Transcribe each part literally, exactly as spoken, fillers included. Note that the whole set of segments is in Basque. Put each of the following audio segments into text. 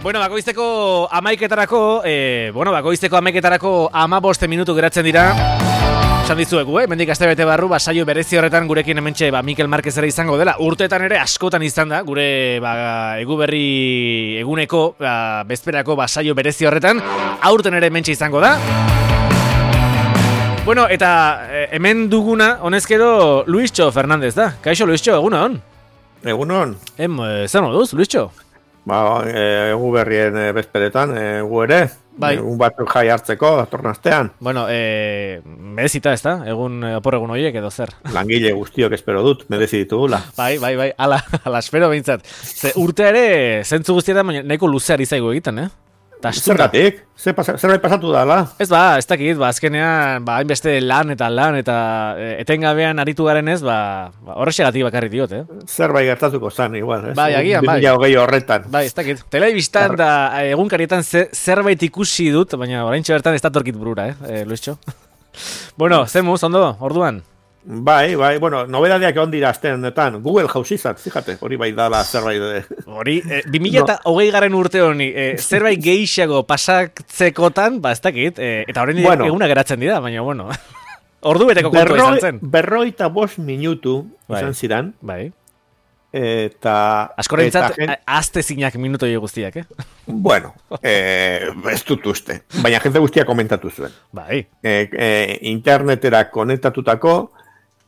Bueno, bakoizteko amaiketarako, eh, bueno, bakoizteko amaiketarako amaboste minutu geratzen dira. Esan dizuegu, eh? Mendik aste bete barru, ba, saio berezi horretan gurekin hementxe ba, Mikel Marquez ere izango dela. Urteetan ere askotan izan da, gure ba, eguberri eguneko, ba, bezperako ba, saio berezi horretan. Aurten ere hementxe izango da. Bueno, eta eh, hemen duguna, honezkero, Luistxo Fernandez da. Kaixo, Luistxo, egunon? Egunon. Em, eh, zer moduz, Luistxo? Ba, egu berrien e, bezperetan, egu ere, bai. Egun batzuk jai hartzeko, datorren astean. Bueno, e, merezita ez da, egun opor egun horiek edo zer. Langile guztiok espero dut, merezi ditugula. Bai, bai, bai, ala, ala espero behintzat. Ze urte ere, zentzu guztietan, baina nahiko luzeari zaigu egiten, eh? Zergatik? Zerbait pasatu da, la? Ez ba, ez dakit, ba, azkenean, ba, hainbeste lan eta lan eta e, etengabean aritu garen ez, ba, ba horrexegatik bakarrik diot, eh? Zerbait gertatuko zan, igual, ez? Bai, agian, bai. bi mila hogei horretan. Bai, ez dakit. Telebistan da egunkarietan ze, zerbait ikusi dut, baina oraintxe bertan ez datorkit burura, eh, e, Luistxo? Bueno, zemuz, ondo, orduan? Bai, bai, bueno, nobedadeak egon dira astean honetan. Google jausizat, fíjate, hori bai dala zerbait de... Hori, e, bi mila hogei garen urte honi, e, zerbait gehiago pasatzekotan, ba, ez dakit, e, eta horren bueno, eguna geratzen dira, baina, bueno, ordu beteko kontua izan zen. Berroita bost minutu bai, izan ziren. Bai. Eta... Askorentzat, gen... azte zinak minuto guztiak, eh? Bueno, eh, ez dut uste, baina jende guztiak komentatu zuen. Bai. Eh, eh, internetera konektatutako,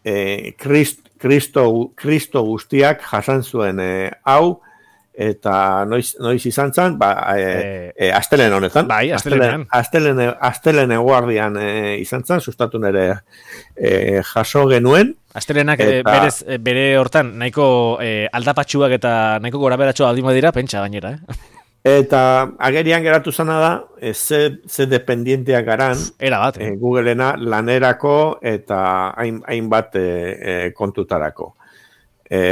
Eh, Krist, Kristo, Kristo guztiak jasan zuen eh, hau, eta noiz, noiz izan zen, ba, eh, eh, astelen honetan. Bai, astelenean. Astelen, astelen eguardian eh, izan zen, sustatu nere eh, jaso genuen. Astelenak eta... berez, bere hortan, nahiko eh, aldapatxuak eta nahiko goraberatxoa aldima dira, pentsa gainera, eh? Eta agerian geratu zana da, e, ze, ze dependienteak garan, era bat, eh? e, Googlena lanerako eta hain, hainbat e, e, kontutarako. E,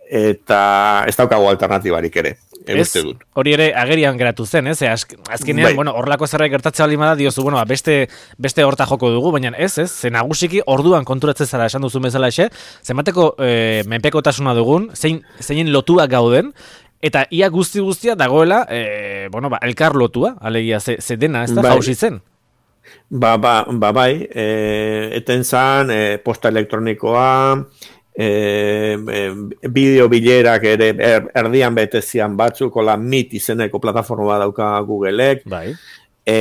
eta ez daukagu alternatibarik ere, ez, dut. Hori ere agerian geratu zen, ez? Azkenean, bai. Bueno, horrelako zerbait gertatzea baldin bada diozu, bueno, beste, beste horta joko dugu, baina ez, ez? Ze nagusiki orduan konturatzen zara esan duzu bezala exe, zenbateko e, menpekotasuna dugun, zein, zeinen lotuak gauden, eta ia guzti guztia dagoela, e, bueno, ba, elkar lotua, alegia, ze, ze dena, ez da, bai. Jausi zen? Ba, ba, ba bai, e, eten zan, e, posta elektronikoa, e, e, bideo bilerak ere er, erdian betezian batzuk, ola Meet izeneko plataforma dauka Googleek, bai. e,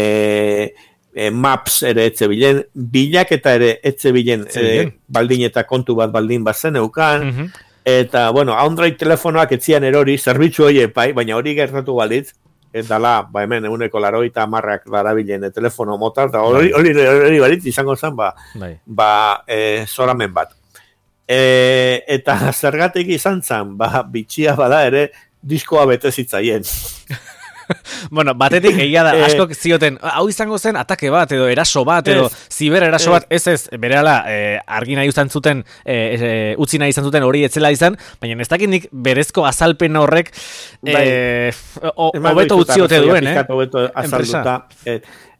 e, Maps ere etze bilen, bilaketa ere etze bilen, e, baldin eta kontu bat baldin bat zen eukan, mm-hmm. Eta, bueno, Android telefonoak etzian erori, zerbitzu hori epai, baina hori gertatu balitz, eta la, ba hemen, eguneko laroita marrak darabilen telefono motar, eta hori, hori, hori balitz, izango zen, ba, ba e, zoramen bat. E, eta zergatik izan zen, ba, bitxia bada ere, diskoa bete zitzaien. Bueno, batetik egia da, askok zioten, hau izango zen atake bat, edo eraso bat, edo ziber eraso bat, ez ez, berehala, eh, argi nahi izan zuten, eh, eh, utzi nahi izan zuten hori etzela izan, baina ez dakit nik berezko azalpen horrek, eh, hobeto utziote duen, eh? Hobeto azalduta,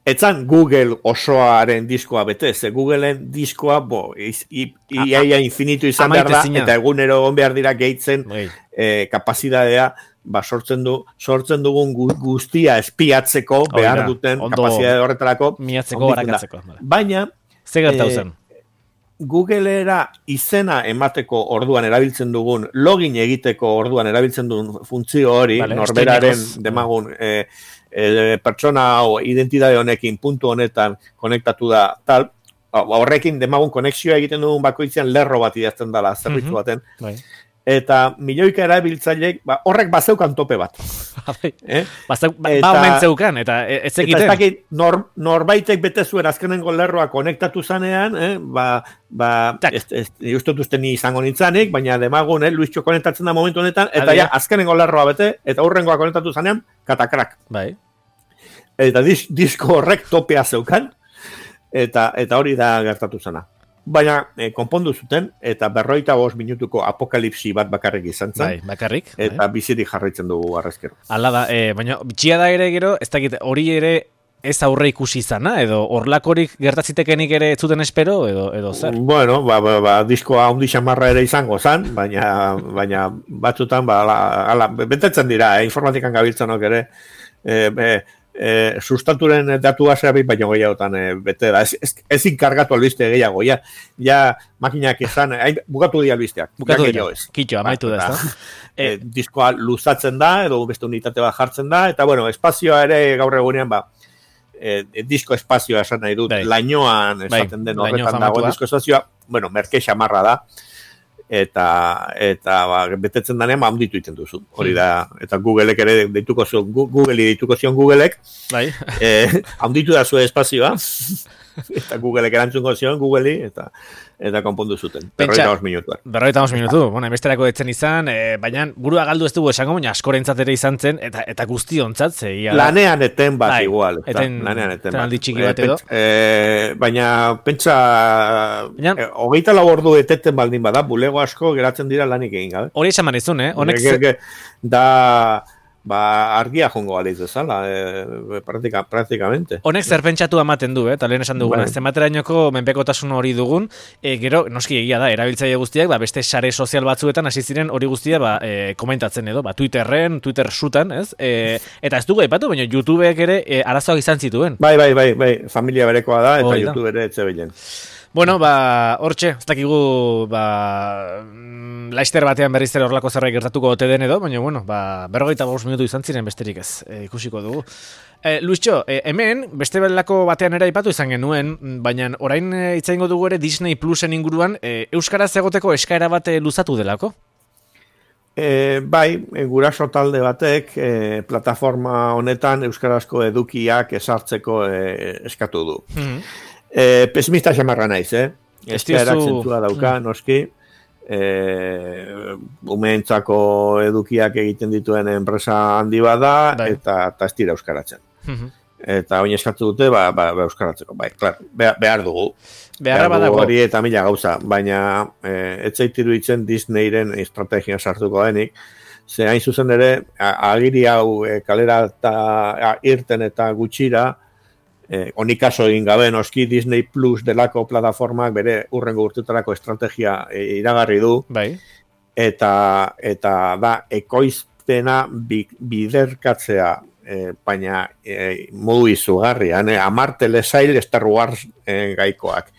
etzan Google osoaren diskoa bete, ze Googleen diskoa, bo, iaia infinitu izan behar da, eta egunero egon behar dira gehitzen eh, kapazidadea, ba, sortzen du sortzen dugun guztia espiatzeko behar duten kapazitatea horretarako miatzeko barakatzeko. Baina ze gertatu zen? Googlera izena emateko orduan erabiltzen dugun, login egiteko orduan erabiltzen dugun funtzio hori, vale, norberaren demagun e, e, pertsona o identitate honekin puntu honetan konektatu da tal, horrekin demagun konexioa egiten dugun bakoitzean lerro bat idazten dela zerbitzu baten. Mm-hmm. Bai. Eta milioika erabiltzaileek ba, horrek bazeukan tope bat. eh? Bazeu, ba, ba omen zeukan, eta ez egiten. Eta ez dakit nor, norbaitek bete zuen azkenengo lerroa konektatu zanean, eh? ba, ba, ez, ez, justut uste ni izango nintzanik, baina demagun, eh? Luistxo konektatzen da momentu honetan, eta ja, azkenengo lerroa bete, eta hurrengoa konektatu zanean, katakrak. Bai. Eta dis, disko horrek topea zeukan, eta, eta hori da gertatu zana. Baina, eh, konpondu zuten, eta berroita bost minutuko apokalipsi bat bakarrik izan zen. Bai, bakarrik. Eta bai. Bizirik jarraitzen dugu arrezkero. Hala da, eh, baina bitxia da ere gero, ez dakit, hori ere ez aurre ikusi izana, edo horlakorik gertatzitekenik ere ez zuten espero, edo, edo zer? Bueno, ba, ba, ba, diskoa handi xamarra ere izango zan, baina, baina batzutan, ba, ala, ala, betetzen dira, eh, informatikan gabiltzanok ere, eh, eh, E, sustaturen datua zerabi baino gehiagotan e, bete da, ez, ez, ez inkargatu albiste gehiago, ja, ja makinak izan, hain, bukatu di albisteak, bukatu dira, kitxo, amaitu da, ez da? E, diskoa luzatzen da, edo beste unitate bat jartzen da, eta bueno, espazioa ere gaur egunean, ba, e, e, disko espazioa esan nahi dut, bai. Lainoan esaten bai. Den horretan dago, disko espazioa, bueno, merke xamarra da, eta eta ba, betetzen danean ba, handitu iten duzu. Hori da, eta Googleek ere deituko zion, Google deituko zion Googleek, bai. eh, handitu da zuen espazioa, eta Googleek erantzungo zion Googleei, eta eta konpondu zuten. Berroita bost minutuan. Berroita bost minutu, bueno, emesterako etzen izan, e, baina burua galdu ez dugu esango, baina askorentzat ere izan zen, eta, eta guztiontzat, zeia. Lanean eten bat bai, igual. Eten, lanean eten bat. Aldi txiki bat edo. E, baina, pentsa, baina, e, hogeita lau ordu eteten baldin bada, bulego asko geratzen dira lanik egin gabe. Hori esan manizun, eh? Honek ge, ge, da... ba, argia jongo aliz bezala, e, praktika, praktikamente. Honek zer pentsatu ematen du, eh? Eta lehen esan duguna, bai. Zenbaterainoko menpekotasun hori dugun, e, gero, noski egia da, erabiltzaile guztiak, ba, beste sare sozial batzuetan hasi ziren hori guztia ba, e, komentatzen edo, ba, Twitterren, Twitter sutan, ez? E, eta ez dugu aipatu, baina YouTubeek ere e, arazoak izan zituen. Bai, bai, bai, bai, familia berekoa da, eta YouTube ere etxe bilen. Bueno, ba, hortxe, ez dakigu, ba, laister batean berriz ere horlako zerbait gertatuko ote den edo, baina, bueno, ba, berrogeita bost minutu izan ziren besterik ez, e, ikusiko dugu. E, Luisxo, e, hemen, beste belako batean ere aipatu izan genuen, baina orain hitz egingo dugu ere Disney Plusen inguruan, e, euskaraz egoteko eskaera bat luzatu delako? E, bai, guraso talde batek e, plataforma honetan euskarazko edukiak esartzeko e, eskatu du. Mm-hmm. Eh, pesimista xamarra naiz, eh? Eskaerak zentzua dauka, mm. noski. Eh, umeentzako edukiak egiten dituen enpresa handi bada, bai. eta, eta ez dira euskaratzen. Mm-hmm. Eta oin eskatu dute, ba, ba, ba euskaratzeko. Bai, klar, behar, behar dugu. Beharra behar dugu hori eta mila gauza, baina eh, ez zaitiru itzen Disneyren estrategia sartuko denik. Ze hain zuzen ere, agiri hau e, kalera eta a, irten eta gutxira, Eh, onikaso egin gabe noski Disney Plus delako plataformak bere urrengo urtetarako estrategia e, iragarri du. Bai. Eta, eta da ekoizpena bi, biderkatzea, e, baina e, modu izugarrian, e, amar telesail Star Wars e, gaikoak.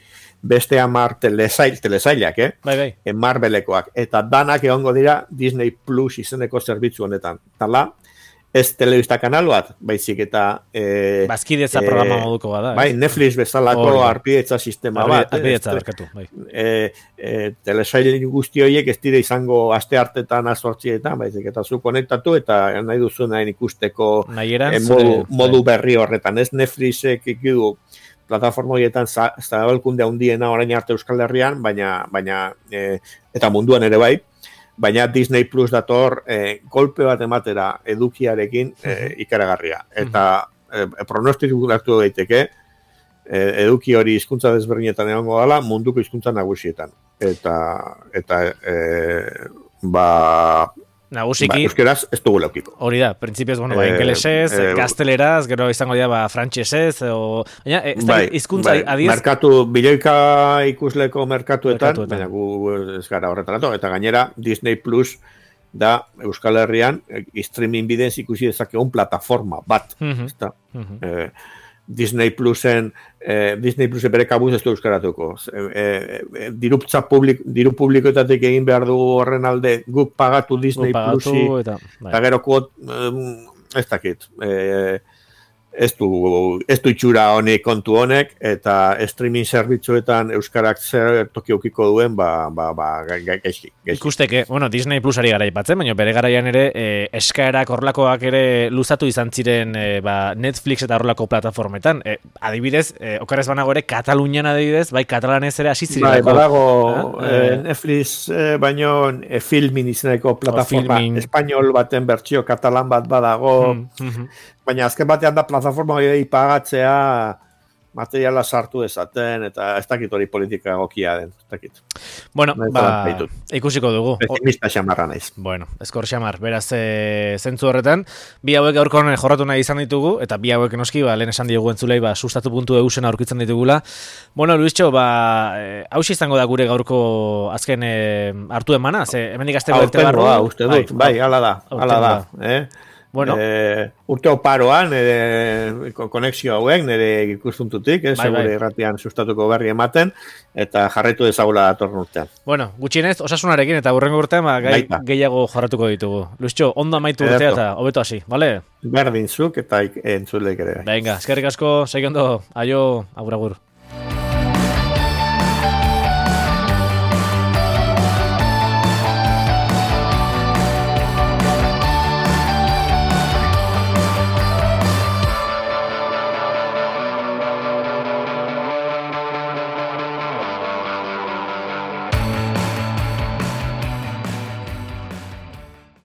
Beste amar telesail, telesailak, eh? Bai, bai. E, Marvelekoak. Eta danak egongo dira Disney Plus izeneko zerbitzu honetan. Tala, ez telebista kanal bat, baizik eta... E, Bazkidetza e, programa moduko bada. Bai, Netflix bezalako oh, arpidetza sistema Arbi, bat. Arpidetza berkatu, bai. E, e, telesail guzti horiek ez dire izango aste hartetan azortzietan, baizik eta zu konektatu eta nahi duzu nahi ikusteko Nahieran, e, modu, modu berri horretan. Ez Netflixek ikidu plataforma horietan zabalkunde handiena orain arte Euskal Herrian, baina, baina e, eta munduan ere bai, baina Disney Plus dator eh, golpe bat ematera edukiarekin eh, ikaragarria. Eta eh, pronostiku hartu daiteke eh, eduki hori hizkuntza desberdinetan egongo dela munduko hizkuntza nagusietan. Eta, eta eh, ba... Nagusiki, ba, euskeraz ez dugu laukiko. Hori da, printzipioz, bueno, ba, ingelesez, eh, gazteleraz, gero izango dira, ba, frantxesez, o... Baina, ez da, bai, izkuntza bai, adiez... Merkatu, biloika ikusleko merkatuetan, merkatuetan. Baina gu ez gara horretaratu, eta gainera, Disney Plus da Euskal Herrian, streaming bidez ikusi dezakegun plataforma bat, mm-hmm. ez da. Mm-hmm. Eh, Disney Plusen, eh, Disney Plusen bere kabuz ez du euskaratuko. Eh, eh, diruptza publik, diru publikoetatik egin behar dugu horren alde guk pagatu Disney Plusi, eta, eta gero kuot, eh, ez dakit, eh, ez du, ez du itxura honek kontu honek, eta streaming zerbitzuetan euskarak zer toki ukiko duen, ba, ba, ba, gaizki. Ikusteke, bueno, Disney Plusari gara ipatzen, baina bere garaian ere, eh, eskaerak horlakoak ere luzatu izan ziren eh, ba, Netflix eta horlako plataformetan. Eh, adibidez, eh, okarez banago ere, Katalunian adibidez, bai, katalanez ere hasi ziren. Bai, badago, eh, eh, Netflix eh, baino eh, filmin izeneko plataforma, espainol baten bertsio katalan bat badago, mm, mm-hmm. Baina azken batean da plataforma hori pagatzea materiala sartu ezaten, eta ez dakit hori politika egokia den, ez dakit. Bueno, ba, ikusiko dugu. Pesimista xamarra naiz. Bueno, eskor xamar, beraz e, zentzu horretan, bi hauek gaurko jorratu nahi izan ditugu, eta bi hauek noski, ba, lehen esan diegu entzulei, ba, sustatu puntu eusen aurkitzen ditugula. Bueno, Luischo, ba, e, hausi izango da gure gaurko azken e, hartu emana, ze, hemendik azte belte barru. Uste dut, bai, hala da, hala da, eh? Bueno. E, urte oparoan, nire konexio hauen, nire ikustuntutik, eh, bai, segure irratian sustatuko berri ematen, eta jarraitu dezagula datorren urtean. Bueno, gutxienez, osasunarekin, eta hurrengo urtean, ba, gai, gehiago jorratuko ditugu. Luischo, ondo amaitu urtea eta hobeto hasi, bale? Berdin zuk eta entzuleik ere. Venga, eskerrik asko, segi ondo, aio, agur agur.